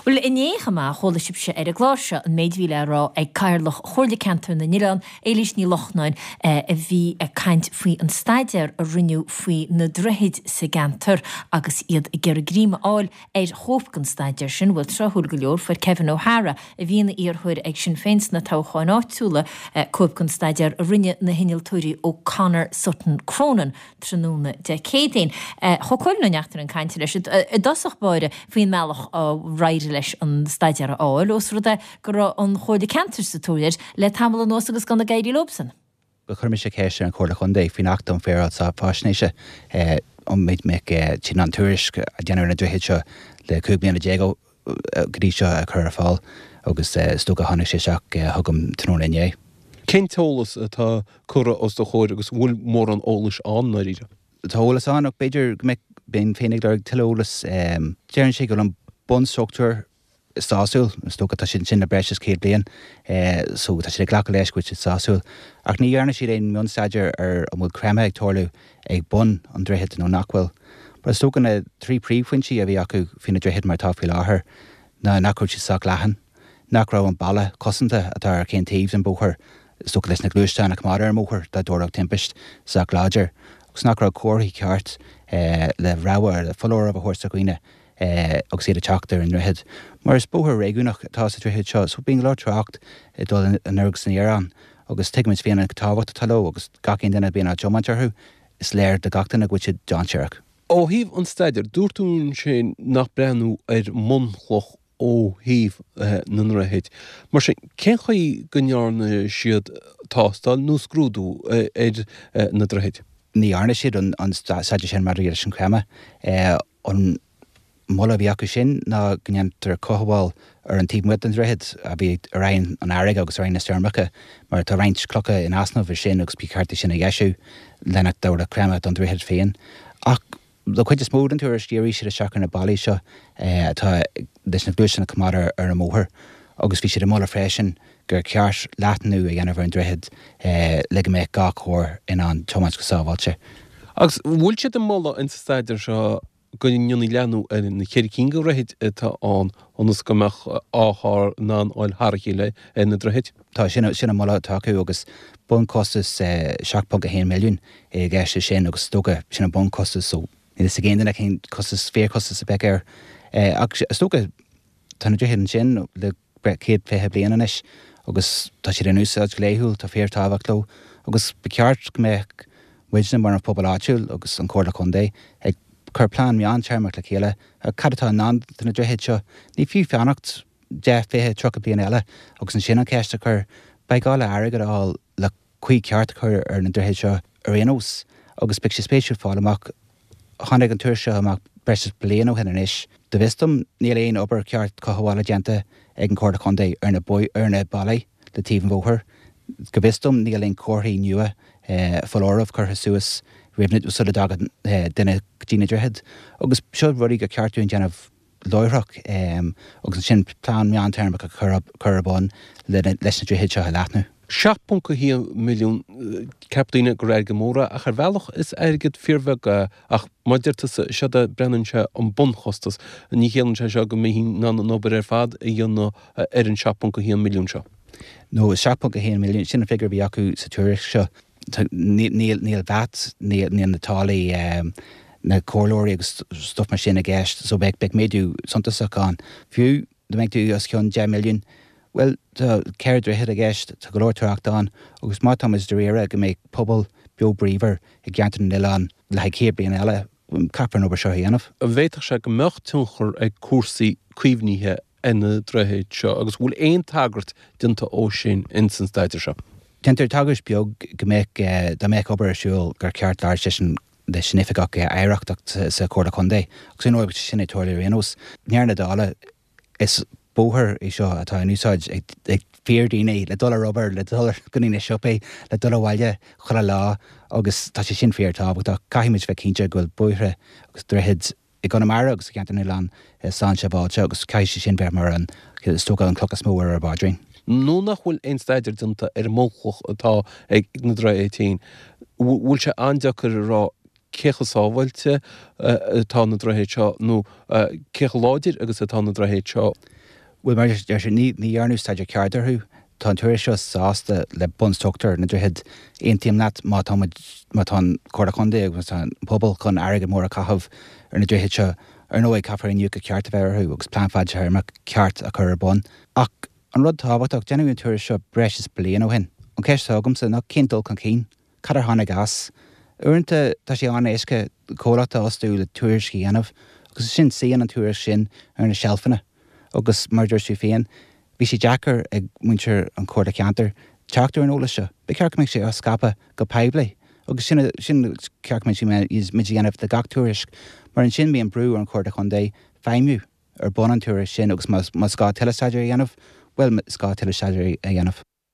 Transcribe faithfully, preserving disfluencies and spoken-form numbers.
Bhuel, inné chomh maith, chuala sibhse ar an gclár seo an méid a bhí le rá ag Cathaoirleach Chomhairle Ceantair na nOileán, Éilís Ní Lochnáin, a bhí ag caint faoi an staidéar a rinneadh faoi na droichid sa gceantar agus iad ag iarraidh greim a fháil ar chóip den staidéar sin. Bhuel, tráthúil go leor, fuair Kevin O'Hara, a bhí ina iarrthóir ag Sinn Féin sna toghcháin áitiúla, cóip den staidéar a rinne na hinnealtóirí O'Connor Sutton Cronin tráthnóna Dé Céadaoin. Chuaigh Cóilín Ó Neachtain chun cainte leis i dtosach báire faoin mbealach ar éirigh leis an staidéar a fháil, ós rud é go raibh an Chomhairle Ceantair sa tóir air le tamall anuas agus gan ag éirí leobsan. Chuir mise ceist ar an Chomhairle Contae faoin Acht um Shaoráil Faisnéise an mbeadh siad in ann tuairisc a dhéanamh ar na droichid seo le cúig bliana déag go dtí seo a chur ar fáil agus is dócha tháinig sé isteach chugam tráthnóna inné. Cén t-eolas atá curtha os do chomhair agus bhfuil mórán eolais ann dáiríre? Tá eolas ann ach b'fhéidir go mbeadh bheinn féin ag lorg tuilleadh eolas. Deireann sé go bhfuil an bunstruchtúr sásúil, is dócha tá siad sin le breis is céad bliain so tá siad ag glacadh leis go bhfuil siad sásúil. Ach ní dhearna siad aon mhionstaidéar ar an bhfuil creimeadh ag tarlú ag bun an droichid nó nach bhfuil. But is dócha na trí príomhphointí a bhí acu faoi na droichid mar atá faoi láthair ná nach raibh siad sách leathan, nach raibh an balla cosanta atá ar chaon taobh den bhóthar, is dócha leis na gluaisteáin a choimeád ar an mbóthar dá dtarlódh timpist sách láidir, agus nach raibh comharthaí ceart le rabhadh le foláireamh a thabhairt do dhaoine agus iad ag teacht ar an ndroichead. Mar is bóthar réigiúnach atá sa droichead seo, so bíonn go leor trácht ag dul anoir agus aniar ann, agus tuigimid féin an tábhacht atá leo agus gach aon duine a bhíonn á dtiomáint orthu, is léir do gach duine go bhfuil siad dainséarach. Ó thaobh an staidéir, dúirt tú ansin nach breathnú ar mbunchloch ó thaobh na ndroichead. Mar sin, cén chaoi go ndearna siad tástáil nó scrúdú ar na droichid? Ní dhearna siad an staidéar sin maidir leis an chreimeadh. An moladh a bhí acu sin ná go ndéantar cothabháil ar an taobh amuigh den droichead a bhí ar aghaidh an fharraige agus ar aghaidh na stoirmeacha, mar tá roinnt clocha in easnamh ar sin agus ba cheart é sin a dheisiú le nach dtabharfadh creimeadh don droichead féin. Ach le cuid is mó den tuairisc dhírigh siad isteach ar na ballaí seo atá leis na gluaisteáin a choimeád ar an mbóthar agus bhí siad ag moladh freisin gur ceart leathnú a dhéanamh ar an droichead le go mbeadh gach carr in ann tiomáint go sábháilte. Agus bhfuil siad ag moladh insa staidéar seo go ndéanfaí leathnú ar na ceithre cinn de dhroichid atá ann ionas go mbeadh dhá charr in ann a ghabháil thar a chéile ar na droichid? Tá, sin sin an moladh atá acu agus bunchostas seacht ponc a haon milliún i gceist leis sin agus is dócha sin an bunchostas so níl a fhios ag aon duine cén costas fíorchostas a bheadh air. Ach is dócha tá na droichid ansin le céad fiche bliain anois agus tá siad in úsáid go laethúil, tá fíorthábhacht leo agus ba cheart go mbeadh muidne mar an phobal áitiúil agus an Chomhairle Contae ag cur plean meántéarmach le chéile cad atá i ndán do na droichid seo. Ní fiú fanacht deich, fiche, tríocha bliain eile agus ansin an cheist a chur. Beidh gá le airgead a fháil le caoi ceart a chur ar na droichid seo ar aon nós agus beidh sé spéisiúil fáil amach. Tháinig an tuairisc seo amach breis is bliain ó shin anois. Go bhfios dom níl aon obair cheart cothabhála déanta ag an Chomhairle Contae ar na ar na ballaí le taobh an bhóthair. Go bhfios dom níl aon chomharthaí nua foláireamh curtha suas roimh sula dtagann duine go dtí na droichid. Agus seo rudaí gur ceart dúinn déanamh láithreach agus ansin plean meántéarmach a chur ar bun leis na droichid seo a leathnú. seacht ponc a haon milliún, ceapann daoine gur airgead mór é, ach ar bhealach is airgead fíorbheag é, ach mar a deir tusa, seod é, breathnaíonn sé an bunchostas, ní chiallaíonn sé seo go mbeifí in ann an obair ar fad a dhéanamh ar an seacht ponc a haon milliún seo. No, seacht ponc a haon milliún, sin an figiúr a bhí acu sa tuairisc seo. Níl níl VAT, níl na táillí, na comhairleoirí agus stuff mar sin i gceist, so beidh beidh méadú suntasach ann. Fiú dá mbeadh tú os cionn deich milliún, bhuel, tá ceithre droichead i gceist, tá go leor trácht ann agus má tá muid dáiríre go mbeidh pobal beo bríomhar i gceantar na n-oileán le haghaidh céad bliain eile, caithfear an obair seo a dhéanamh. An bhféadfadh sé go mbeadh tionchar ag cúrsaí caomhnaithe ar na droichid seo agus bhfuil aon tagairt déanta dó sin ins an staidéar seo? Déantar tagairt beag go mbeadh, dá mbeadh obair ar siúl, gur ceart labhairt leis an leis an Oifigeach Oidhreachta sa Chomhairle Contae agus ar ndóigh beidh sé sin ag tarlú ar aon nós. I ndeireadh na dála, is bóthar é seo atá in úsáid ag fíordhaoine le dul ar obair, le dul go dtí na siopaí, le dul abhaile chuile lá agus tá sé sin fíorthábhachtach. Caithfimid bheith cinnte go bhfuil bóithre agus droichid i gConamara agus i gceantar na n-oileán slán sábháilte agus caithfidh sé sin bheith mar an, is dócha, an cloch is mó ar ár bpaidrín. Nuair nach bhfuil aon staidéar déanta ar an mbunchloch atá ag na droichid féin, bhfuil sé an-deacair a rá cé chomh sábháilte atá na droichid seo nó cé chomh láidir agus atá na droichid seo? Bhuel, mar a deir sé, ní dhearnadh staidéar ceart orthu. Tá an tuairisc seo sásta le bunstruchtúr na ndroichead. Aontaím leat má tá muid, má tá an Chomhairle Contae agus má tá an pobal chun airgead mór a chaitheamh ar na droichid seo, ar ndóigh caithfear iniúchadh ceart a bheith orthu agus plean fadtéarmach ceart a chur ar bun. Ach an rud tábhachtach, déanadh an tuairisc seo breis is bliain ó shin. An cheist atá agamsa ná cén dul chun cinn? Cad ar tháinig as? Uaireanta tá sé an-éasca comhlacht a fhostú le tuairisc a dhéanamh agus ansin suíonn an tuairisc sin ar na seilfeanna agus mar a dúirt tú féin, bhí sé deacair ag muintir an Chomhairle Ceantair teacht ar an eolas seo. Ba cheart go mbeadh sé á scaipeadh go poiblí agus sin sin ceart go mbeadh muid a dhéanamh de gach tuairisc mar ansin bíonn brú ar an Chomhairle Chontae feidhmiú ar bun an tuairisc sin agus más gá tuilleadh staidéir a dhéanamh, bhuel is gá tuilleadh staidéir a dhéanamh.